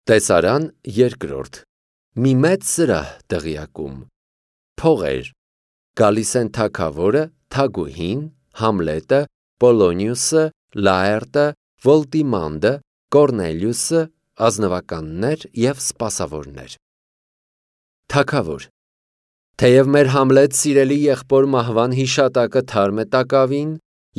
Տեսարան երկրորդ մի մեծ սրահ տեղյակում փողեր գալիս են թագավորը, թագուհին, Համլետը, Պոլոնիուսը, Լաերտը, Վոլտիմանդը, Կորնելիուսը, ազնվականներ և սպասավորներ։ Թագավոր թեև մեր Համլետ սիրելի եղբոր մահվան հիշատակը թարմ է տակավին,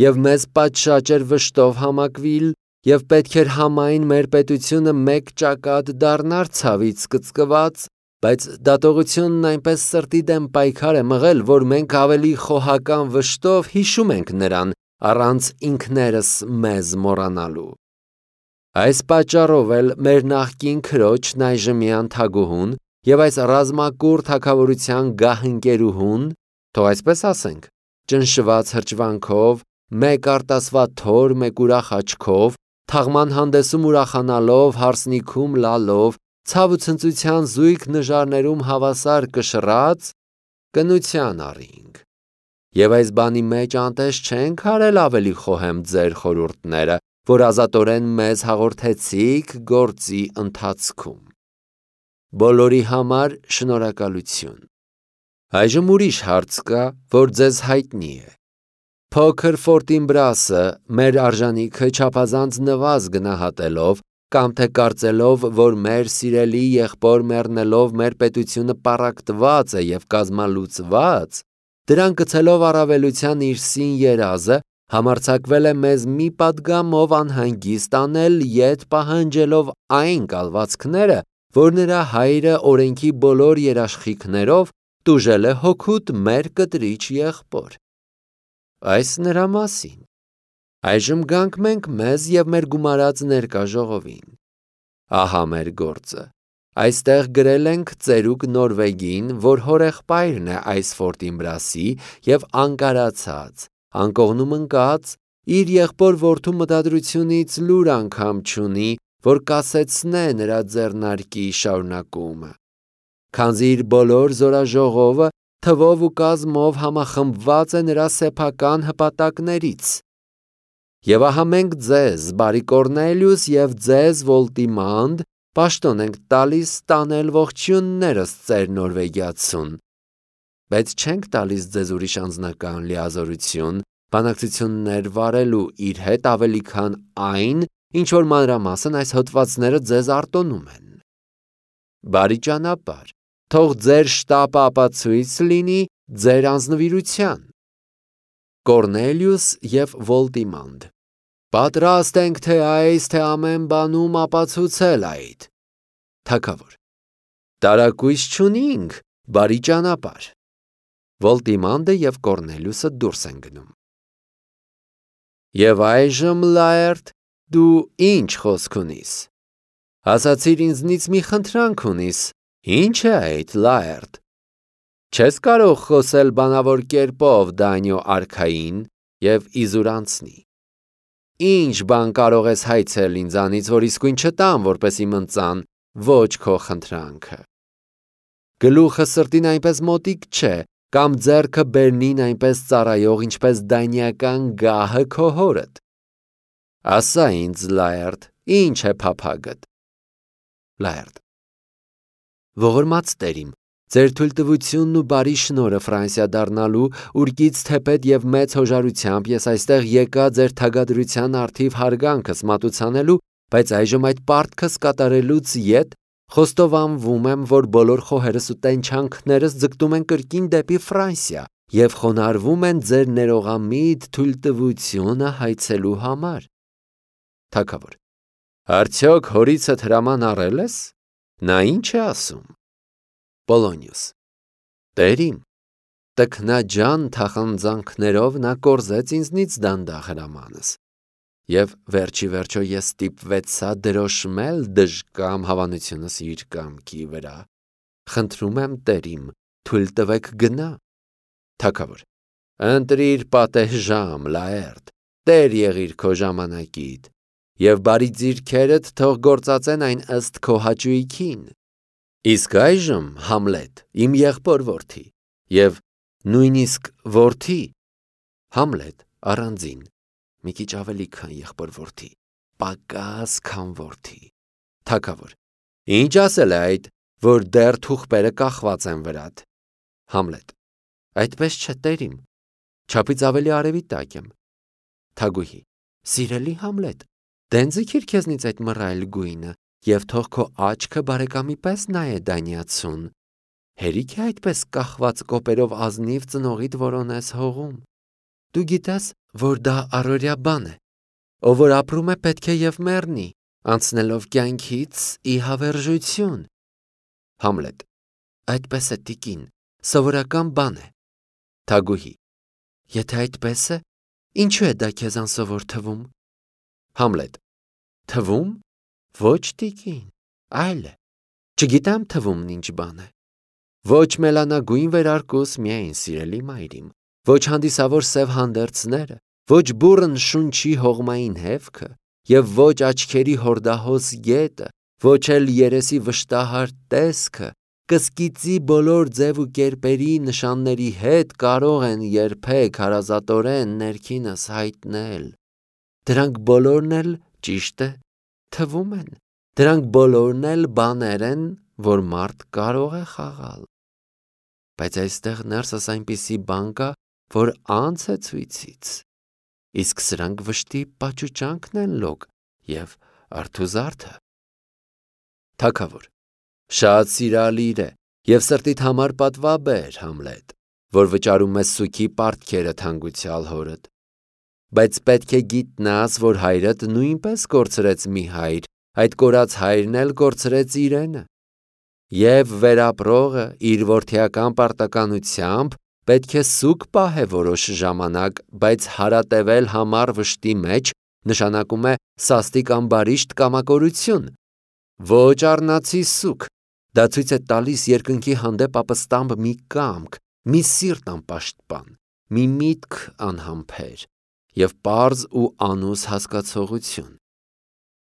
և մեզ պատշաճ էր վշտով համակվիլ, և պետք էր համայն մեր պետությունը մեկ ճակատ դառնար ցավից կծկված, բայց դատողությունն այնպես սրտի դեմ պայքար է մղել, որ մենք ավելի խոհական վշտով հիշում ենք նրան, առանց ինքներս մեզ մոռանալու։ Այս պատճառով էլ մեր նախկին քրոջն այժմյան թագուհուն և այս ռազմակուռ թագավորության գահընկերուհուն, թող այսպես ասենք, ճնշված հրճվանքով, մեկ արտասվա թոր, մեկ ուրախ աչքով, թաղման հանդեսում ուրախանալով, հարսնիքում լալով, ցավ ու ցնծության զույգ նժարներում հավասար կշռած, կնության առինք։ Եվ այս բանի մեջ անտես չենք արել ավելի խոհեմ ձեր խորհուրդները, որ ազատորեն մեզ հաղորդեցիք գործի ընթացքում։ Բոլորի համար շնորհակալություն։ Այժմ ուրիշ հարց կա, որ ձեզ հայտնի է։ Փոքր Ֆորտինբրասը մեր արժանիքը չափազանց նվազ գնահատելով կամ թե կարծելով, որ մեր սիրելի եղբոր մեռնելով մեր պետությունը պառակտված է և կազմալուծված, դրան գցելով առավելության իր սին երազը, համարձակվել է մեզ մի պատգամով անհանգիստ անել, ետ պահանջելով այն կալվածքները, որ նրա հայրը օրենքի բոլոր երաշխիքներով տուժել է հօգուտ մեր կտրիչ եղբոր։ Այս նրա մասին։ Այժմ գանք մենք մեզ և մեր գումարած ներկա ժողովին։ Ահա մեր գործը։ Այստեղ գրել ենք ծերուկ Նորվեգին, որ հորեղբայրն է այս Ֆորտինբրասի և անկարացած, անկողնում ընկած, իր եղբոր որդու մտադրությունից լուր անգամ չունի, որ կասեցնե նրա ձեռնարկի շարունակումը։ Քանզի իր բոլոր զորաժողովը թվով ու կազմով համախմբված է նրա սեփական հպատակներից։ Եվ ահա մենք ձեզ, բարի Կորնելիուս, և ձեզ, Վոլտիմանդ, պաշտոն ենք տալիս տանել ողջույններս ծեր նորվեգացուն, բայց չենք տալիս ձեզ ուրիշ անձնական լիազորություն, բանակցություններ վարելու իր հետ ավելի քան այն, ինչ որ մանրամասն այս հոդվածները ձեզ արտոնում են։ Բարի ճանապարհ, թող ձեր շտապը ապացույց լինի ձեր անձնվիրության։ Կորնելիուս և Վոլտիմանդ պատրաստ ենք թե այս, թե ամեն բանում ապացուցել այդ։ Թագավոր տարակույս չունինք, բարի ճանապարհ։ Վոլտիմանդը և Կորնելիուսը դուրս են գնում։ Եվ այժմ, Լաերտ, դու ինչ խոսք ունիս։ Ասացիր ինձնից մի խնդրանք ունիս, ինչ է այդ, Լաերտ։ Չես կարող խոսել բանավոր կերպով դայնյո արքային և իզուր անցնի։ Ինչ բան կարող ես հայցել ինձանից, որ իսկույն չտամ, որպեսզի մնծան ոչ քո խնդրանքը։ Գլուխը սրտին այնպես մոտիկ չէ, կամ ձեռքը բերնին այնպես ծառայող, ինչպես դայնյական գահը քո հորդ։ Ասա ինձ, Լաերտ, ինչ է փափագդ։ Լաերտ ողորմած տերիմ, ձեր թույլտվությունն ու բարի շնորհը Ֆրանսիա դառնալու ուրկից թեպետ և մեծ հոժարությամբ ես այստեղ եկա ձեր թագադրության առթիվ հարգանքս մատուցանելու, բայց այժմ այդ պարտքս կատարելուց ետ խոստովանվում եմ, որ բոլոր խոհերս ու տենչանքներս ձգտում են կրկին դեպի Ֆրանսիա և խոնարհվում են ձեր ներողամիտ թույլտվությունը հայցելու համար։ Թագավոր արդյոք հորիցդ հրաման առել ես։ Նա ինչ է ասում։ Պոլոնիուս տերիմ, տքնաջան թախանձանքներով նա կորզեց ինձնից դանդաղ հրամանս, և վերջի վերջո ես ստիպվեցա դրոշմել դժկամ հավանությունս իր կամքի վրա։ Խնդրում եմ տերիմ, թույլ տվեք գնա։ Թագավոր ընտրիր պատեհ ժամ, Լաերտ, տեր եղիր քո ժամանակիդ, և բարի ձիրքերդ թող գործածեն այն ըստ քո հաճույքին։ Իսկ այժմ, Համլետ, իմ եղբոր որդի, և նույնիսկ որդի, Համլետ, առանձին, մի քիչ ավելի քան եղբոր որդի, պակաս քան որդի։ Թագավոր Ինչ ասել է այդ, որ դեռ թուղթերը կախված են վրադ։ Համլետ. Այդպես չէ, տերիմ, չափից ավելի արևի տակ եմ։ Թագուհի. Սիրելի Համլետ, դեն ձգիր քեզնից այդ մռայլ գույնը և թող քո աչքը բարեկամի պես նայե դանյացուն։ Հերիք է այդպես կախված կոպերով ազնիվ ծնողիդ որոնես հողում։ Դու գիտես, որ դա առօրյա բան է։ Ով որ ապրում է, պետք է և մեռնի, անցնելով կյանքից ի հավերժություն։ Համլետ. Այդպես է, տիկին, սովորական բան է։ Թագուհի. Եթե այդպես է, ինչու է դա քեզ անսովոր թվում։ Համլետ. Թվում։ Ոչ, տիկին, այլ է։ Չգիտեմ թվումն ինչ բան է։ Ոչ մելանագույն վերարկուս միայն սիրելի մայրիմ, ոչ հանդիսավոր սև հանդերձները, ոչ բուռն շունչի հողմային հևքը և ոչ աչքերի հորդահոս գետը, ոչ էլ երեսի վշտահար տեսքը, կսկիծի բոլոր ձև ու կերպերի նշանների հետ կարող են երբեք հարազատորեն ներքինս հայտնել։ Դրանք բոլորն էլ, ճիշտ է, թվում են, դրանք բոլորն էլ բաներ են, որ մարդ կարող է խաղալ։ Բայց այստեղ ներսս այնպիսի բան կա, որ անց է ցույցից, իսկ սրանք վշտի պաճուճանքն են լոկ և արթուզարդը։ Թագավոր. Շատ սիրալիր է և սրտիդ համար պատվաբեր, Համլետ, որ վճարում ես սուգի պարտքերը թանկության հորդ։ Բայց պետք է գիտնաս, որ հայրդ նույնպես կորցրեց մի հայր, այդ կորած հայրն էլ կորցրեց իրենը։ Եվ վերապրողը իր որդիական պարտականությամբ պետք է սուգ պահե որոշ ժամանակ, բայց հարատևել համառ վշտի մեջ նշանակում է սաստիկ ամբարիշտ կամակորություն։ Ոչ առնացի սուգ, դա ցույց է տալիս երկնքի հանդեպ ապստամբ մի կամք, մի սիրտ անպաշտպան, մի միտք անհամբեր և պարզ ու անուս հասկացողություն։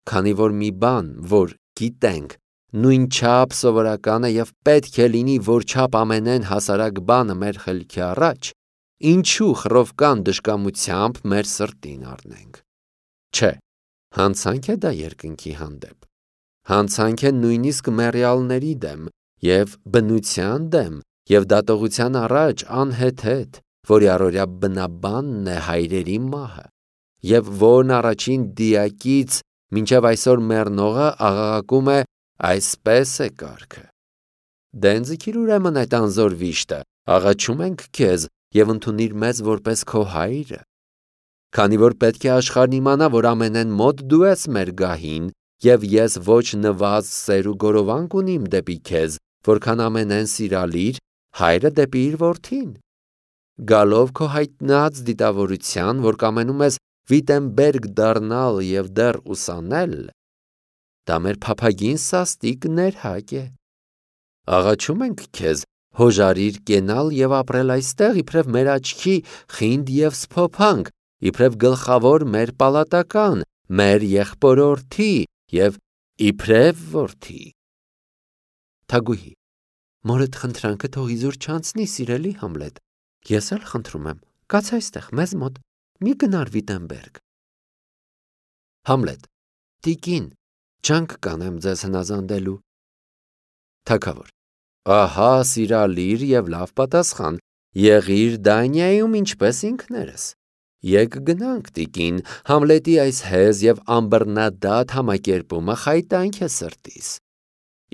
Քանի որ մի բան, որ գիտենք, նույնչափ սովորական է և պետք է լինի որչափ ամենեն հասարակ բանը մեր խելքի առաջ, ինչու խռովկան դժկամությամբ մեր սրտին առնենք։ Չէ, հանցանք է դա երկնքի հանդեպ։ Հանցանք է նույնիսկ մեռյալների դեմ և բնության դեմ և դատողության առաջ անհեթեթ, որի առօրյա բնաբանն է հայրերի մահը, և որն առաջին դիակից մինչև այսօր մեռնողը աղաղակում է այսպես է կարգը։ Դեն ձգիր ուրեմն այդ անզոր վիշտը, աղաչում ենք քեզ և ընդունիր մեզ որպես քո հայրը։ Քանի որ պետք է աշխարհն իմանա, որ ամենեն մոտ դու ես մեր գահին, և ես ոչ նվազ սեր ու գորովանք ունիմ դեպի քեզ, որքան ամենեն սիրալիր հայրը դեպի իր որդին։ Գալով քո հայտնած դիտավորության, որ կամենում ես Վիտենբերգ դառնալ և դեռ ուսանել, դա մեր փափագին սաստիկ ներհակ է։ Աղաչում ենք քեզ, հոժարիր կենալ և ապրել այստեղ, իբրև մեր աչքի խինդ և սփոփանք, իբրև գլխավոր մեր պալատական, մեր եղբորորդի և իբրև որդի։ Թագուհի. Մորդ խնդրանքը թող իզուր չանցնի, սիրելի Համլետ, ես էլ խնդրում եմ, կաց այստեղ մեզ մոտ, մի գնար Վիտենբերգ։ Համլետ. Տիկին, ջանք կանեմ ձեզ հնազանդելու։ Թագավոր. Ահա սիրալիր և լավ պատասխան, եղիր Դանիայում ինչպես ինքներս։ Եկ գնանք, տիկին, Համլետի այս հեզ և անբռնադատ համակերպումը խայտանք է սրտիս։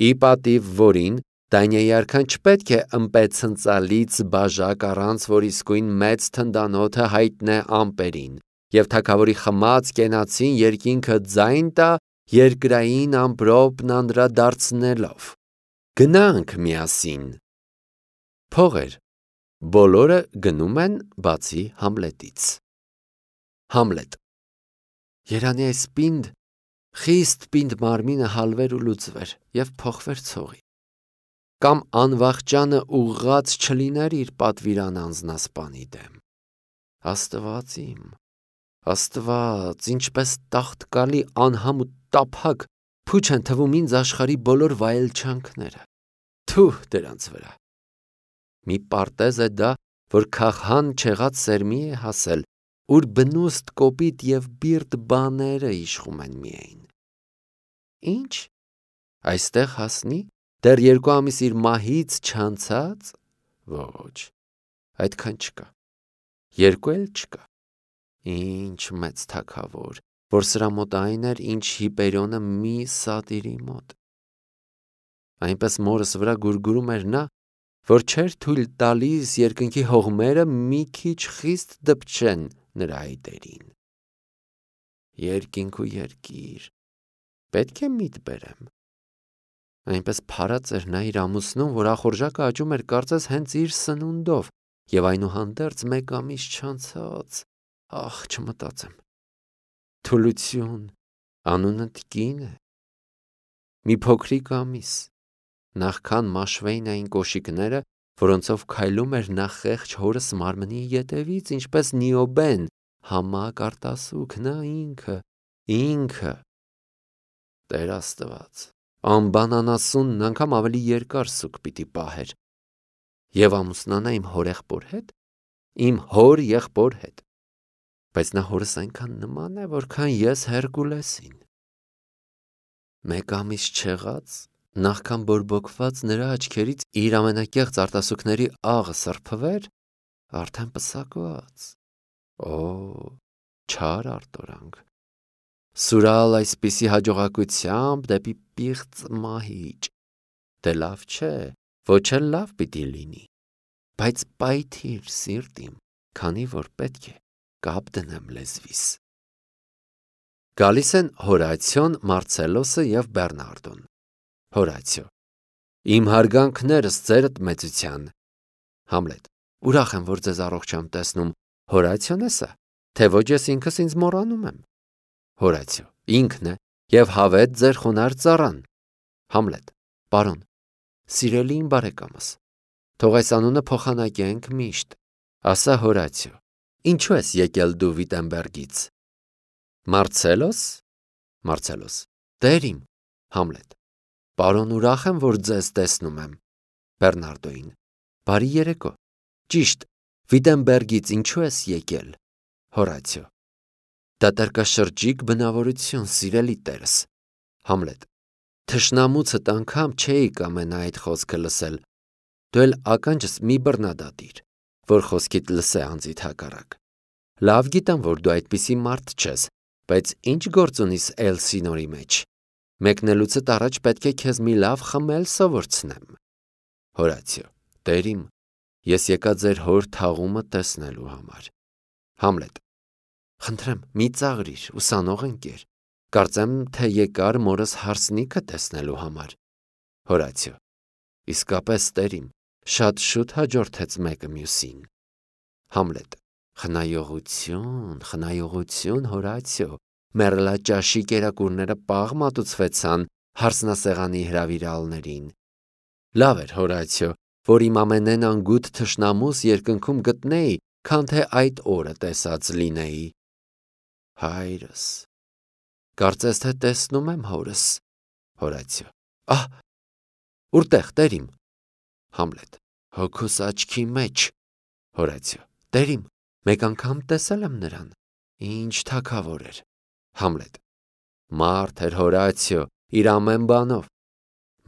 Ի պատիվ որին Դանիայի արքան չպետք է ըմպեցնծալից բաժակ առանց, որ իսկույն մեծ թնդանոթը հայտնե ամպերին, և թագավորի խմած կենացին երկինքը ձայն տա երկրային ամպրոպն անդրադարձնելով։ Գնանք միասին։ Փողեր, բոլորը գնում են, բացի Համլետից։ Համլետ. Երանի այս պինդ, խիստ պինդ մարմինը հալվեր ու լուծվեր և փոխվեր ցողի։ Կամ անվախճանը ուղղած չլիներ իր պատվիրան անձնասպանի դեմ։ Աստված իմ, Աստված, ինչպես տաղտկալի անհամ ու տափակ փուչ են թվում ինձ աշխարհի բոլոր վայելչանքները։ Թուh դրանց վրա։ Մի պարտեզ է դա, որ քահան չեղած սերմի է հասել, ուր բնուստ կոպիտ և բիրտ բաները իշխում են միայն։ Ինչ։ Այստեղ հասնի, դեռ 2 ամիս իր մահից չանցած, ոչ, այդքան չկա, 2 էլ չկա, ինչ մեծ թագավոր, որ սրա մոտ այն էր, ինչ Հիպերիոնը մի սատիրի մոտ, այնպես մորս վրա գուրգուրում էր նա, որ չէր թույլ տալիս երկնքի հողմերը մի քիչ խիստ դպչեն նրա այտերին, երկինք ու երկիր, պետք է միտ բերեմ, այնպես փարած էր նա իր ամուսնում, որ ախորժակը աճում էր կարծես հենց իր սնունդով, և այնուհանդերձ 1 ամիս չանցած, ախ, չմտածեմ, թուլություն, անունը կին է, մի փոքրիկ ամիս, նախքան մաշվեին այն կոշիկները, որոնցով քայլում էր նա խեղճ հորս մարմնի ետևից, ինչպես Նիոբեն, համակ արտասուք, նա ինքը, Տեր Աստված, անբանանասունն անգամ ավելի երկար սուկ պիտի պահեր, և ամուսնանա իմ հորեղբոր հետ, իմ հոր եղբոր հետ, բայց նա հորս այնքան նման է, որքան ես Հերկուլեսին, 1 ամիս չեղած, նախքան բորբոքված նրա աչքերից իր ամենակեղծ արտասուքների աղը սրբվեր, արդեն պսակված, չար արտորանք, սուրալ այսպիսի հաջողակությամբ դեպի պիղծ մահիճ, դե լավ չէ, ոչ էլ լավ պիտի լինի, բայց պայթիր սիրտիմ, քանի որ պետք է կապ դնեմ լեզվիս։ Գալիս են Հորացիոն, Մարցելոսը և Բեռնարդոն։ Հորացիո. Իմ հարգանքներս ձերդ մեծության։ Համլետ. Ուրախ եմ, որ ձեզ առողջ եմ տեսնում, Հորացիոն է սա, թե ոչ ես ինքս ինձ մոռանում եմ։ Հորացիո. Ինքն է, և հավետ ձեր խոնարհ ծառան։ Համլետ. Պարոն, սիրելի իմ բարեկամս, թող այս անունը փոխանակենք միշտ, ասա Հորացիո, ինչու ես եկել դու Վիտենբերգից։ Մարցելոս, Մարցելոս. Տեր իմ։ Համլետ. Պարոն, ուրախ եմ, որ ձեզ տեսնում եմ։ Բեռնարդոին. Բարի երեկո։ Ճիշտ, Վիտենբերգից ինչու ես եկել։ Հորացիո. Դատարկաշրջիկ բնավորություն, սիրելի տերս։ Համլետ. Թշնամուցդ անգամ չէի կամենա այդ խոսքը լսել, դու էլ ականջս մի բռնադատիր, որ խոսքիդ լսե անձիդ հակառակ։ Լավ գիտեմ, որ դու այդպիսի մարդ չես, բայց ինչ գործ ունիս Էլսինորի մեջ։ Մեկնելուցդ առաջ պետք է քեզ մի լավ խմել սովորցնեմ։ Հորացիո. Տեր իմ, ես եկա ձեր հոր թաղումը տեսնելու համար։ Համլետ. Խնդրեմ, մի ծաղրիր, ուսանող ընկեր, կարծեմ, թե եկար մորս հարսնիքը տեսնելու համար։ Հորացիո. Իսկապես տեր իմ, շատ շուտ հաջորդեց մեկը մյուսին։ Համլետ. Խնայողություն, Հորացիո, մեռելաճաշի կերակուրները պաղ մատուցվեցան հարսնասեղանի հրավիրալներին։ Լավ էր, Հորացիո, որ իմ ամենեն անգութ թշնամուս երկնքում գտնեի, քան թե այդ օրը տեսած լինեի։ Հայրս, կարծես թե տեսնում եմ հորս։ Հորացիո. Ահ, ուրտեղ, տեր իմ։ Համլետ. Հոգուս աչքի մեջ։ Հորացիո. Տեր իմ, մեկ անգամ տեսել եմ նրան, ինչ թագավոր էր։ Համլետ. Մարդ էր, Հորացիո, իր ամեն բանով,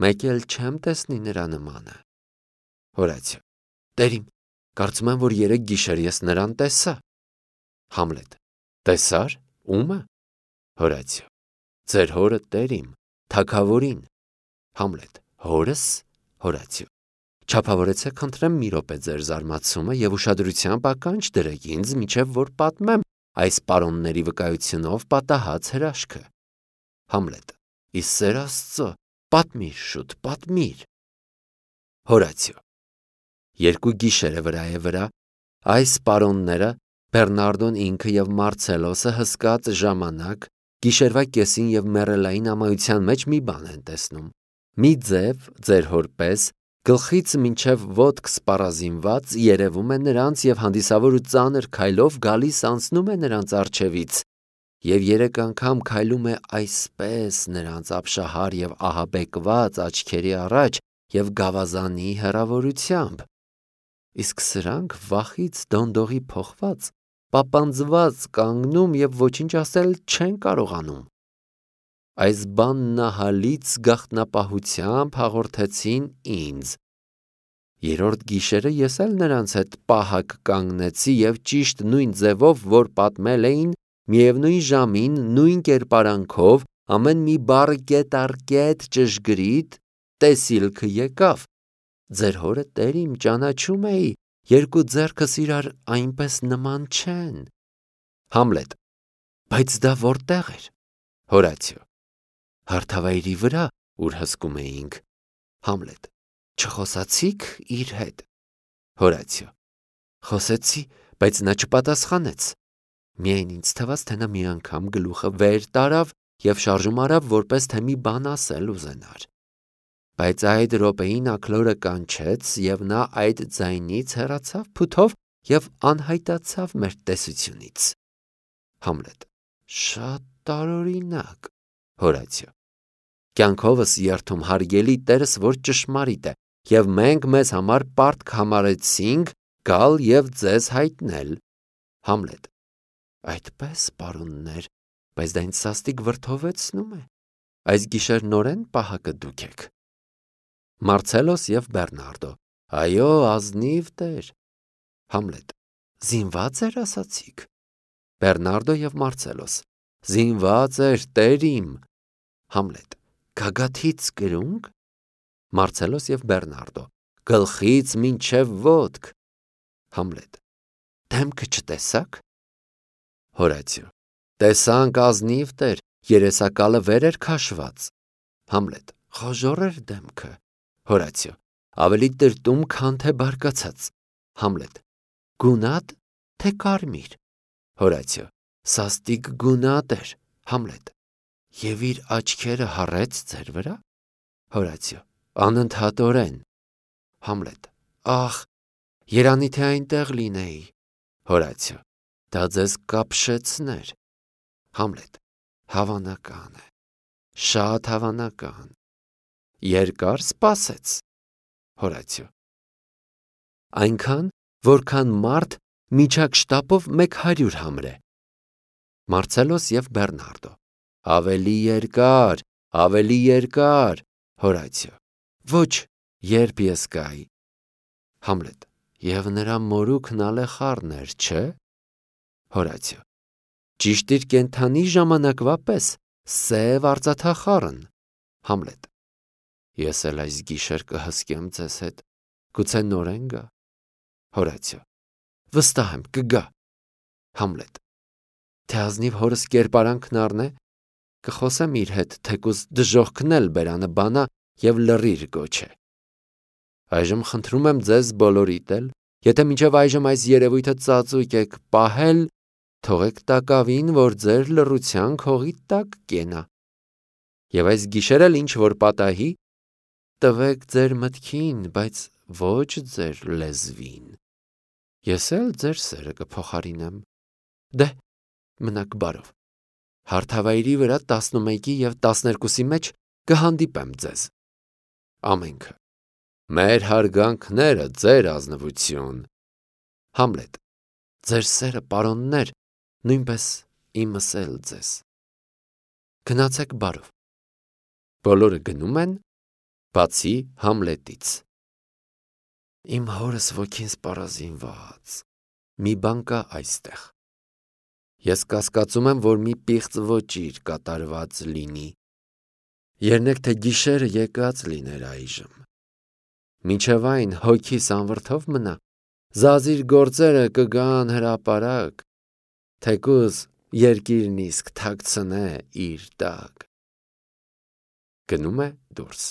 մեկ էլ չեմ տեսնի նրա նմանը։ Հորացիո. Տեր իմ, կարծում եմ, որ երեկ գիշեր ես նրան տեսա։ Համլետ. Տեսար, ո՞ւմը։ Հորացիո. Ձեր հորը, տեր իմ, թագավորին։ Համլետ. Հորս։ Հորացիո. Չափավորեցեք, խնդրեմ, մի րոպե ձեր զարմացումը և ուշադրությամբ ականջ դրեք ինձ, մինչև որ պատմեմ այս պարոնների վկայությունով պատահած հրաշքը։ Համլետ. Ի սեր Աստծո, պատմիր շուտ, պատմիր։ Հորացիո. 2 գիշերը վրա է վրա, այս պարոնները, Բեռնարդոն ինքը և Մարցելոսը հսկած ժամանակ, գիշերվա կեսին և մեռելային ամայության մեջ մի բան են տեսնում։ Մի ձև, ձեր հոր պես, գլխից մինչև ոտք սպառազինված, երևում է նրանց և հանդիսավոր ու ծանր քայլով գալիս անցնում է նրանց առջևից, և 3 անգամ քայլում է այսպես նրանց ապշահար և ահաբեկված աչքերի առաջ և գավազանի հեռավորությամբ։ Իսկ սրանք վախից դոնդողի փոխված, պապանձված կանգնում և ոչինչ ասել չեն կարողանում։ այս բաննահալից գաղտնապահությամբ հաղորդեցին ինձ։ Երրորդ գիշերը ես էլ նրանց հետ պահակ կանգնեցի և ճիշտ նույն ձևով, որ պատմել էին, միևնույն ժամին, նույն կերպարանքով, ամեն մի բառ կետ առ կետ ճշգրիտ տեսիլքը եկավ։ Ձեր հորը Տեր իմ ճանաչում էի, երկու ձեռքս իրար այնպես նման չեն։ Համլետ. Բայց դա որտեղ էր։ Հորացիո. Հարթավայրի վրա, ուր հսկում էինք։ Համլետ. Չխոսացիք իր հետ։ Հորացիո. Խոսեցի, բայց նա չպատասխանեց։ Միայն ինձ թվաց, թե նա մի անգամ գլուխը վեր տարավ և շարժում արավ, որպես թե մի բան ասել ուզենար։ Բայց այդ րոպեին աքլորը կանչեց, և նա այդ ձայնից հեռացավ փութով և անհայտացավ մեր տեսությունից։ Համլետ. Շատ տարօրինակ։ Հորացիո. Կյանքովս երդում հարգելի Տերս, որ ճշմարիտ է, և մենք մեզ համար պարտք համարեցինք գալ և ձեզ հայտնել։ Համլետ. Այդպես, պարոններ, բայց դա ինձ սաստիկ վրդովեցնում է։ Այս գիշեր նորեն պահակը դուք եք։ Մարցելոս և Բեռնարդո. Այո, ազնիվ Տեր։ Համլետ. Զինվա՞ծ էր ասացիք։ Բեռնարդո և Մարցելոս. Զինված էր, Տեր իմ։ Համլետ. Գագաթից կրունկ։ Մարցելոս և Բեռնարդո. Գլխից մինչև ոտք։ Համլետ. Դեմքը չտեսաք։ Հորացիո. Տեսանք, ազնիվ Տեր, երեսակալը վեր էր քաշված։ Համլետ. Խոժոռ էր դեմքը։ Հորացիո. Ավելի տրտում, քան թե բարկացած։ Համլետ. Գունատ, թե կարմիր։ Հորացիո. Սաստիկ գունատ էր։ Համլետ. Եվ իր աչքերը հառեց ձեր վրա։ Հորացիո. Անընդհատորեն։ Համլետ. Ախ, երանի թե այնտեղ լինեի։ Հորացիո. Դա ձեզ կապշեցներ։ Համլետ. Հավանական է։ Շատ հավանական։ Երկար սպասեց։ Հորացիո. Այնքան, որքան մարդ միջակ շտապով 100 համրե։ Մարցելոս և Բեռնարդո. Ավելի երկար, ավելի երկար։ Հորացիո. Ոչ, երբ ես գայի։ Համլետ. Եվ նրա մորուքն ալեխառն էր, չէ։ Հորացիո. Ճիշտ իր կենդանի ժամանակվա պես, սև արծաթախառն։ Համլետ. Ես էլ այս գիշեր կհսկեմ ձեզ հետ, գուցե նորեն գա։ Հորացիո. Վստահ եմ, կգա։ Համլետ. Թե ազնիվ հորս կերպարանքն առնե, կխոսեմ իր հետ, թեկուզ դժոխքն էլ բերանը բանա և լռիր գոչե։ Այժմ խնդրում եմ ձեզ բոլորիդ էլ, եթե մինչև այժմ այս երևույթը ծածուկ եք պահել, թողեք տակավին, որ ձեր լռության քողի տակ կենա։ Եվ այս գիշեր էլ ինչ որ պատահի, տվեք ձեր մտքին, բայց ոչ ձեր լեզվին։ Ես էլ ձեր սերը կփոխարինեմ։ Դե, մնաք բարով։ Հարթավայրի վրա 11-ի և 12-ի մեջ կհանդիպեմ ձեզ։ Ամենքը։ Մեր հարգանքները, ձեր ազնվություն։ Համլետ. Ձեր սերը, պարոններ, նույնպես իմս էլ ձեզ։ Գնացեք բարով։ Բոլորը գնում են, բացի Համլետից։ Իմ հորս ոգին սպառազինված։ Մի բան կա այստեղ։ Ես կասկածում եմ, որ մի պիղծ ոճիր կատարված լինի։ Երնեք թե գիշերը եկած լիներ այժմ։ Մինչև այն հոգիս անվրդով մնա, զազիր գործերը կգան հրապարակ, թեկուզ երկիրն իսկ թաքցնե իր տակ։ Գնում է դուրս։